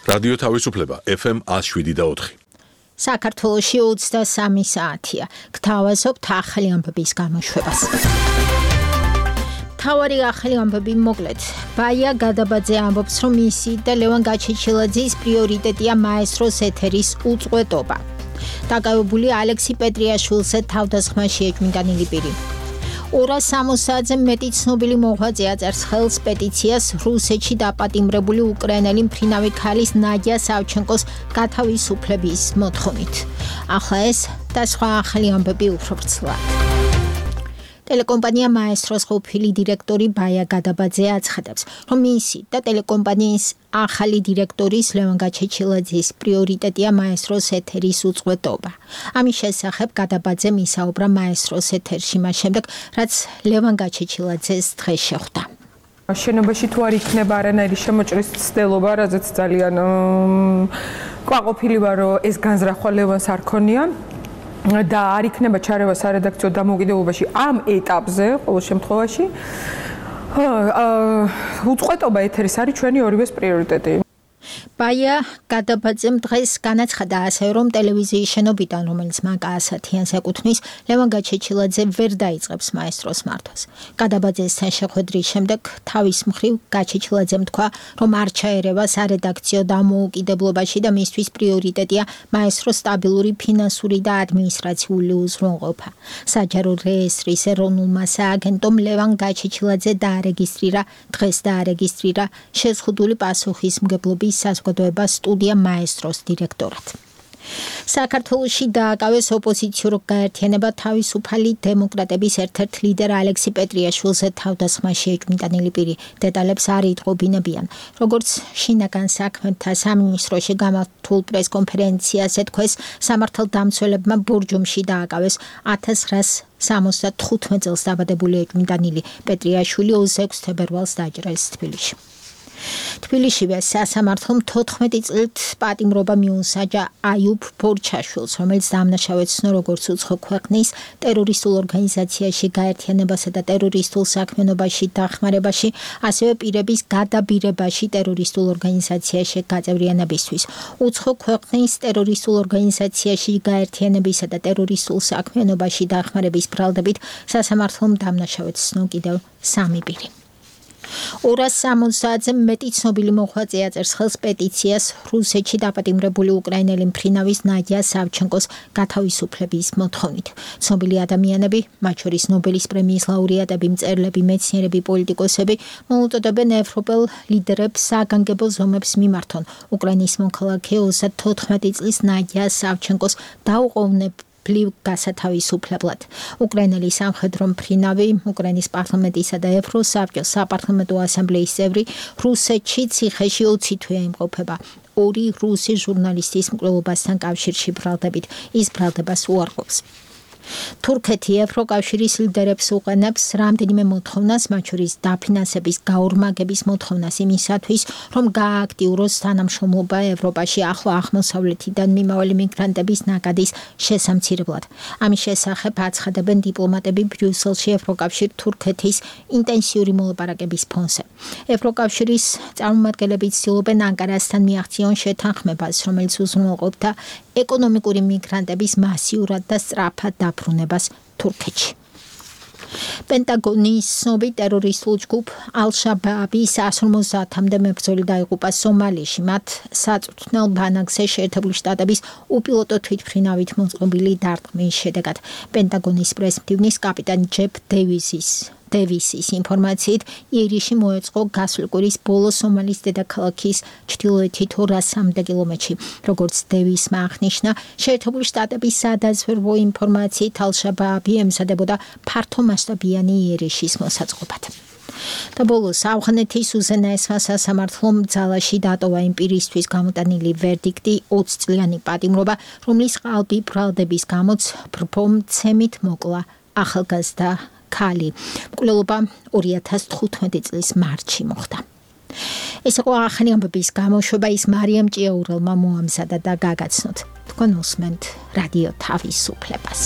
რადიო თავისუფლება FM 107.4. საქართველოში 23 საათია. გთავაზობთ ახალი ამბების გამოშვებას. მთავარი ახალი ამბები მოკლედ. ბაია გადაბაძე ამბობს, რომ მისი და ლევან გაჩეჩილაძის პრიორიტეტია მაესტროს ეთერის უწყვეტობა. დაკავებული ალექსი პეტრიაშვილზე თავდასხმაში ეჭვმიტანილი პირი. 260-ზე მეტი ცნობილი მოღვაწე აწერს ხელს პეტიციას რუსეთში დაპატიმრებული უკრაინელი მფრინავი ქალის ნადია სავჩენკოს გათავისუფლების მოთხოვნით. ახლა ეს და სხვა ახალი ამბები უფრო ვრცლად. ტელეკომპანია მაესტროს ყოფილი დირექტორი ბაია გადაბაძე აცხადებს, რომ მისი და ტელეკომპანიის ახალი დირექტორის ლევან გაჩეჩილაძის პრიორიტეტია მაესტროს ეთერის უწყვეტობა. ამის შესახებ გადაბაძემ ისაუბრა მაესტროს ეთერში მას შემდეგ, რაც ლევან გაჩეჩილაძეს დღეს შეხვდა. შენობაში თუ არ იქნება არანაირი შემოჭრის ცდელობა, რაზეც ძალიან კვაყოფილი ვარ, რომ ეს განზრახვა ლევანს არ ქონია. და არ იქნება ჩარევა სარედაქციო დამოუკიდებლობაში ამ ეტაპზე ყოველ შემთხვევაში უწყვეტობა ეთერის არის ჩვენი ორივეს პრიორიტეტი. ბაია გადაბაძემ დღეს განაცხადა ასევე, რომ ტელევიზიის შენობიდან, რომელიც მაკ-10-იანს ეკუთვნის, ლევან გაჩეჩილაძე ვერ დაიწყებს მაესტროს მართვას. გადაბაძესთან შეხვედრის შემდეგ თავის მხრივ გაჩეჩილაძემ თქვა, რომ არ ჩაერევა სარედაქციო დამოუკიდებლობაში და მისთვის პრიორიტეტია მაესტროს სტაბილური ფინანსური და ადმინისტრაციული უზრუნველყოფა. საჯარო რეესტრის ეროვნულმა სააგენტომ ლევან გაჩეჩილაძე დღეს დაარეგისტრირა შეზღუდული პასუხისმგებლობის საზოგადოება სტუდია მაესტროს დირექტორად. საქართველოში დააკავეს ოპოზიციურ გაერთიანება თავისუფალი დემოკრატების ერთ-ერთ ლიდერ ალექსი პეტრიაშვილზე თავდასხმაში ეჭვმიტანილი პირი. დეტალებს არ იტყობინებიან. როგორც შინაგან საქმეთა სამინისტროში გამართულ პრესკონფერენციაზე თქვეს, სამართალდამცველებმა ბურჯუმში დააკავეს 1975 წელს დაბადებული ეჭვმიტანილი პეტრიაშვილი 26 თებერვალს დაჭრეს თბილისში. თბილისშივე სასამართლომ 14 წლით პატიმრობა მიუსაჯა აიუბ ბორჩაშვილს, რომელიც დამნაშავედ ცნო როგორც უცხო ქვეყნის ტერორისტულ ორგანიზაციაში გაერთიანებასა და ტერორისტულ საქმიანობაში დახმარებაში, ასევე პირების გადაბირებაში ტერორისტულ ორგანიზაციაში გაწევრიანებისთვის. უცხო ქვეყნის ტერორისტულ ორგანიზაციაში გაერთიანებისა და ტერორისტულ საქმიანობაში დახმარების ბრალდებით სასამართლომ დამნაშავედ ცნო კიდევ 3 პირი. 260-ზე მეტი ცნობილი მოღვაწე აწერს ხელს პეტიციას რუსეთში დაპატიმრებული უკრაინელი მფრინავის ნადია სავჩენკოს გათავისუფლების მოთხოვნით. ცნობილი ადამიანები, მათ შორის ნობელის პრემიის ლაურეატები, მწერლები, მეცნიერები, პოლიტიკოსები, მოუწოდებენ ევროპელ ლიდერებს საგანგებო ზომებს მიმართონ უკრაინის მოქალაქე 34 წლის ნადია სავჩენკოს დაუყოვნებლად გასათავისუფლებლად. უკრაინელი სამხედრო მფრინავი, უკრაინის პარლამენტისა და ევროსაბჭოს საპარლამენტო ასამბლეის წევრი, რუსეთში ციხეში 20 თვე იმყოფება. 2 რუსი ჟურნალისტის მკვლელობასთან კავშირში ბრალდებით. ის ბრალდებას უარყოფს. თურქეთი ევროკავშირის ლიდერებს უყენებს რამდენიმე მოთხოვნას, მათ შორის დაფინანსების გაორმაგების მოთხოვნას იმისათვის, რომ გაააქტიუროს თანამშრომლობა ევროპაში ახლო აღმოსავლეთიდან მიმავალი მიგრანტების ნაკადის შესამცირებლად. ამის შესახებ აცხადებენ დიპლომატები ბრიუსელში ევროკავშირ თურქეთის ინტენსიური მოლაპარაკების ფონზე. ევროკავშირის წარმომადგენლები ცდილობენ ანკარასთან მიაღწიონ შეთანხმებას, რომელიც უზრუნველყოფდა ეკონომიკური მიგრანტების მასიურად და სწრაფად დაბრუნებას თურქეთში. პენტაგონის ცნობილ ტერორისტულ ჯგუფ ალ-შაბაბი 150-მდე მებრძოლი დაიღუპა სომალიაში. მათ საწვრთნელ ბანაკზე შეერთებული შტატების უპილოტო თვითმფრინავით მოწყობილი დარტყმის შედეგად. პენტაგონის პრესმდივნის კაპიტანი ჯეფ დევისის ინფორმაციით, ირიში მოეწყო გასული კვირის ბოლო სომალის დედაქალაქის ჩრდილოეთით 200 კილომეტრში. როგორც დევისმა აღნიშნა, შეერთებული შტატების სადაზვერვო ინფორმაციით ალ-შაბაბი ემზადებოდა ფართომასშტაბიანი იერიშის მოსაწყობად. და ბოლოს ავღანეთის უზენაესმა სასამართლომ ძალაში დატოვა იმ პირისთვის გამოტანილი ვერდიქტი 20 წლიანი პატიმრობა, რომლის ყალბი ბრალდების გამოც ბრბო-მცემით მოკლა ახალგაზრდა ქალი. მკვლელობა 2015 წლის მარტში მოხდა. ეს იყო ახალი ამბების გამოშვება, ის მარიამ ჭიაურელმა მოამზადა და გაგაცნოთ. თქვენ უსმენთ რადიო თავისუფლებას.